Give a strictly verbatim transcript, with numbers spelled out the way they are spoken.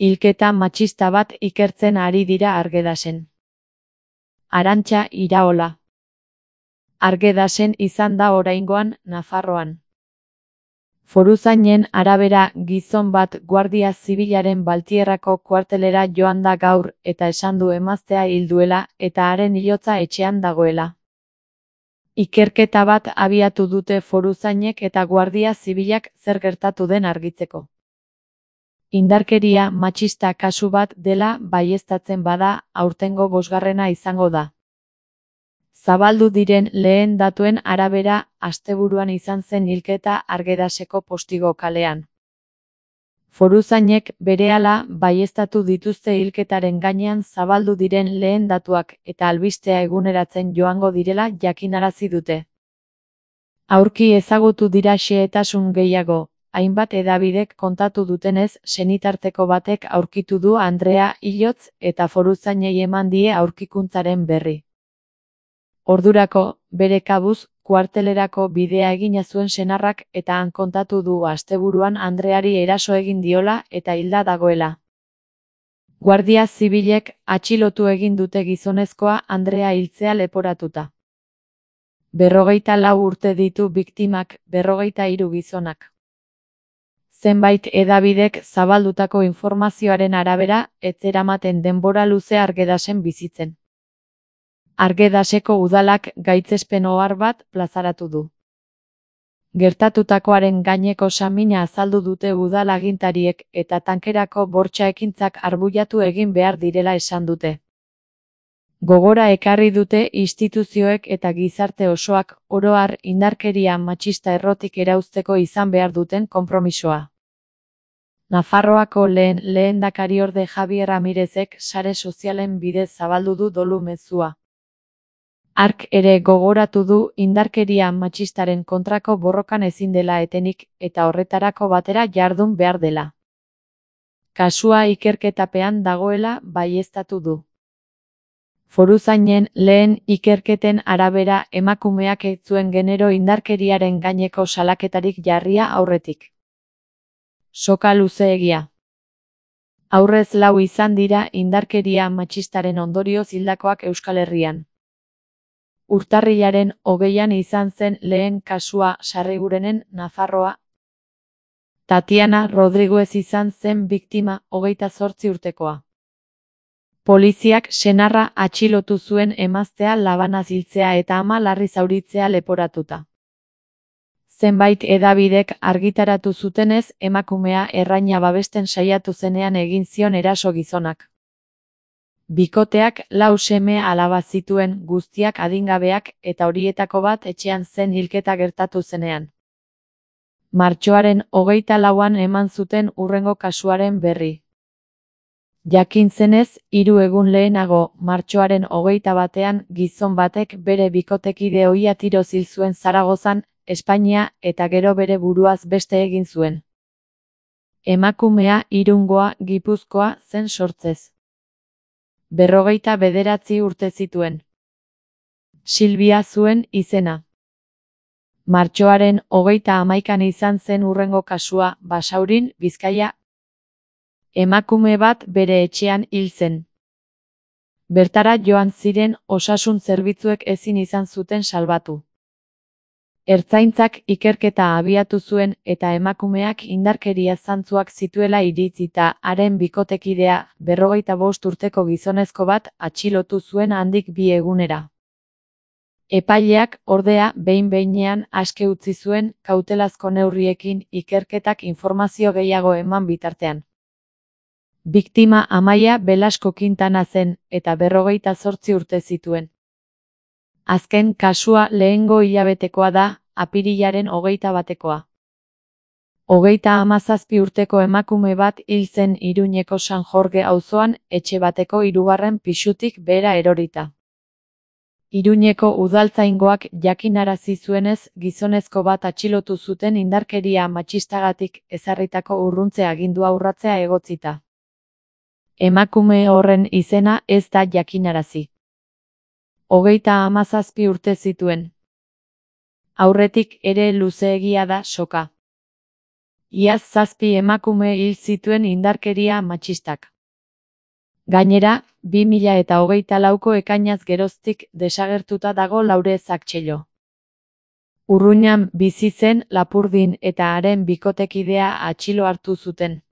Hilketa matxista bat ikertzen ari dira Argedasen. Arantxa Iraola. Argedasen izan da oraingoan Nafarroan. Foruzainen arabera gizon bat Guardia Zibilaren Baltierrako kuartelera joan da gaur eta esan du emaztea hil duela eta haren hilotza etxean dagoela. Ikerketa bat abiatu dute foruzainek eta Guardia Zibilak zer gertatu den argitzeko. Indarkeria matxista kasu bat dela baieztatzen bada, aurtengo bosgarrena izango da. Zabaldu diren lehen datuen arabera, asteburuan izan zen hilketa Argedaseko Postigo kalean. Foruzainek berehala baieztatu dituzte hilketaren gainean zabaldu diren lehen datuak eta albistea eguneratzen joango direla jakinarazi dute. Aurki ezagutu dira xehetasun gehiago, hainbat hedabidek kontatu dutenez, senitarteko batek aurkitu du Andrea hilotz eta foruzainei eman die aurkikuntzaren berri. Ordurako, bere kabuz, kuartelerako bidea egina zuen senarrak eta han kontatu du asteburuan Andreari eraso egin diola eta hilda dagoela. Guardia Zibilek atxilotu egin dute gizonezkoa Andrea hiltzea leporatuta. Berrogeita lau urte ditu biktimak, berrogeita hiru gizonak. Zenbait hedabidek zabaldutako informazioaren arabera, ez zeramaten denbora luze Argedasen bizitzen. Argedaseko udalak gaitzespen ohar bat plazaratu du. Gertatutakoaren gaineko samina azaldu dute udal agintariek eta tankerako bortxa ekintzak arbuiatu egin behar direla esan dute. Gogora ekarri dute instituzioek eta gizarte osoak oro har indarkeria matxista errotik erauzteko izan behar duten konpromisoa. Nafarroako lehen lehendakariorde Javier Ramirezek sare sozialen bidez zabaldu du dolu mezua. Hark ere gogoratu du indarkeria matxistaren kontrako borrokan ezin dela etenik eta horretarako batera jardun behar dela. Kasua ikerketapean dagoela baieztatu du. Foruzainen lehen ikerketen arabera emakumeak ez zuen genero indarkeriaren gaineko salaketarik jarria aurretik. Soka luzeegia. Aurrez lau izan dira indarkeria matxistaren ondorioz hildakoak Euskal Herrian. Urtarrilaren hogeian izan zen lehen kasua Sarrigurenen Nafarroa. Tatiana Rodriguez izan zen biktima hogeita zortzi urtekoa. Poliziak senarra atxilotu zuen emaztea labanaz hiltzea eta ama larri zauritzea leporatuta. Zenbait hedabidek argitaratu zutenez emakumea erraina babesten saiatu zenean egin zion eraso gizonak. Bikoteak lau seme alaba zituen guztiak adingabeak eta horietako bat etxean zen hilketa gertatu zenean. Martxoaren hogeita lauan eman zuten hurrengo kasuaren berri. Jakin zenez, hiru egun lehenago, martxoaren hogeita batean gizon batek bere bikotekide ohia tiroz hil zuen Zaragozan, Espainia eta gero bere buruaz beste egin zuen. Emakumea Irungoa, Gipuzkoa zen sortzez. Berrogeita bederatzi urte zituen. Silvia zuen izena. Martxoaren hogeita hamaikan izan zen hurrengo kasua, Basaurin, Bizkaia. Emakume bat bere etxean hil zen. Bertara joan ziren osasun zerbitzuek ezin izan zuten salbatu. Ertzaintzak ikerketa abiatu zuen eta emakumeak indarkeria zantzuak zituela iritzita haren bikotekidea, berrogeita bost urteko gizonezko bat, atxilotu zuen handik bi egunera. Epaileak, ordea, behin-behinean aske utzi zuen kautelazko neurriekin ikerketak informazio gehiago eman bitartean. Biktima Amaia Belasko Quintana zen eta berrogeita zortzi urte zituen. Azken kasua lehengo hilabetekoa da, apirilaren hogeita batekoa. Hogeita hamazazpi urteko emakume bat hil zen Iruñeko San Jorge auzoan, etxe bateko hirugarren pisutik behera erorita. Iruñeko udaltzaingoak jakinarazi zuenez, gizonezko bat atxilotu zuten indarkeria matxistagatik ezarritako urruntze agindua urratzea egotzita. Emakume horren izena ez da jakinarazi. Hogeita hamazazpi urte zituen. Aurretik ere luzeegia da soka. Iaz zazpi emakume hil zituen indarkeria matxistak. Gainera, bi mila eta hogeita lauko ekainaz geroztik desagertuta dago Laure Zaktxello. Urruñan bizi zen Lapurdin eta haren bikotekidea atxilo hartu zuten.